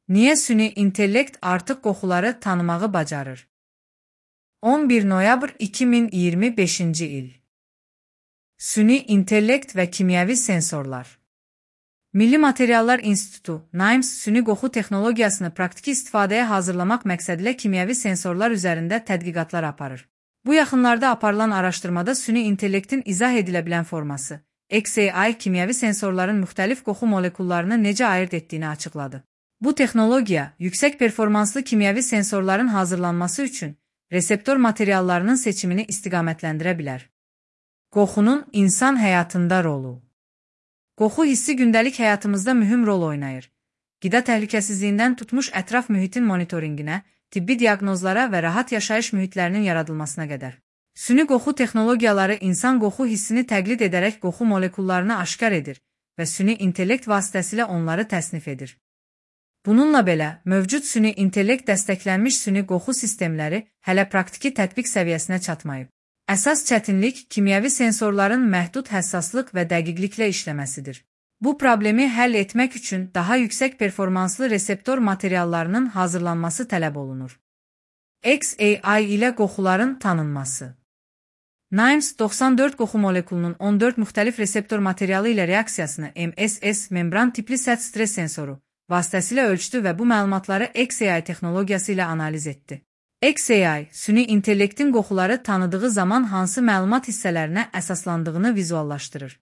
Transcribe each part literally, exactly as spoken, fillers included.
Niyə süni intellekt artıq qoxuları tanımağı bacarır? on bir noyabr iki min iyirmi beşinci il. Süni intellekt və kimyəvi sensorlar. Milli Materiallar İnstitutu, NIMS, süni qoxu texnologiyasını praktiki istifadəyə hazırlamaq məqsədilə kimyəvi sensorlar üzərində tədqiqatlar aparır. Bu yaxınlarda aparılan araşdırmada süni intellektin izah edilə bilən forması, X A I kimyəvi sensorların müxtəlif qoxu molekullarını necə ayırt etdiyini açıqladı. Bu texnologiya, yüksək performanslı kimyəvi sensorların hazırlanması üçün reseptor materiallarının seçimini istiqamətləndirə bilər. Qoxunun insan həyatında rolu. Qoxu hissi gündəlik həyatımızda mühüm rol oynayır. Qida təhlükəsizliyindən tutmuş ətraf mühitin monitoringinə, tibbi diaqnozlara və rahat yaşayış mühitlərinin yaradılmasına qədər. Süni qoxu texnologiyaları insan qoxu hissini təqlid edərək qoxu molekullarını aşkar edir və süni intellekt vasitəsilə onları təsnif edir. Bununla belə, mövcud süni intellekt dəstəklənmiş süni qoxu sistemləri hələ praktiki tətbiq səviyyəsinə çatmayıb. Əsas çətinlik kimyəvi sensorların məhdud həssaslıq və dəqiqliklə işləməsidir. Bu problemi həll etmək üçün daha yüksək performanslı reseptor materiallarının hazırlanması tələb olunur. X A I ilə qoxuların tanınması. NIMS doxsan dörd qoxu molekulunun on dörd müxtəlif reseptor materialı ilə reaksiyasını M S S membran tipli sərt stres sensoru vasitəsilə ölçdü və bu məlumatları X A I texnologiyası ilə analiz etdi. X A I, süni intellektin qoxuları tanıdığı zaman hansı məlumat hissələrinə əsaslandığını vizuallaşdırır.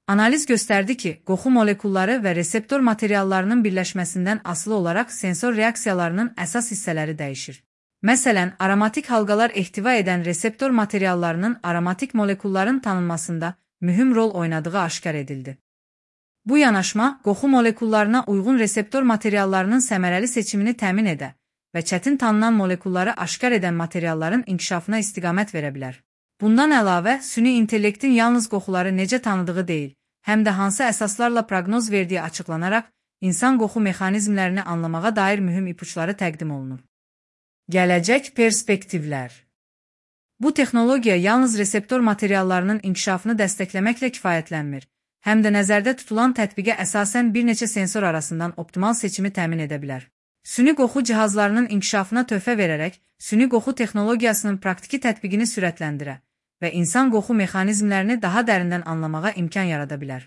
Analiz göstərdi ki, qoxu molekulları və reseptor materiallarının birləşməsindən asılı olaraq sensor reaksiyalarının əsas hissələri dəyişir. Məsələn, aromatik halqalar ehtiva edən reseptor materiallarının aromatik molekulların tanınmasında mühüm rol oynadığı aşkar edildi. Bu yanaşma, qoxu molekullarına uyğun reseptor materiallarının səmərəli seçimini təmin edə və çətin tanınan molekulları aşkar edən materialların inkişafına istiqamət verə bilər. Bundan əlavə, süni intellektin yalnız qoxuları necə tanıdığı deyil, həm də hansı əsaslarla proqnoz verdiyi açıqlanaraq, insan qoxu mexanizmlərini anlamağa dair mühüm ipuçları təqdim olunur. Gələcək perspektivlər. Bu texnologiya yalnız reseptor materiallarının inkişafını dəstəkləməklə kifayətlənmir, həm də nəzərdə tutulan tətbiqə əsasən bir neçə sensor arasından optimal seçimi təmin edə bilər. Süni qoxu cihazlarının inkişafına töhfə verərək, süni qoxu texnologiyasının praktiki tətbiqini sürətləndirə və insan qoxu mexanizmlərini daha dərindən anlamağa imkan yarada bilər.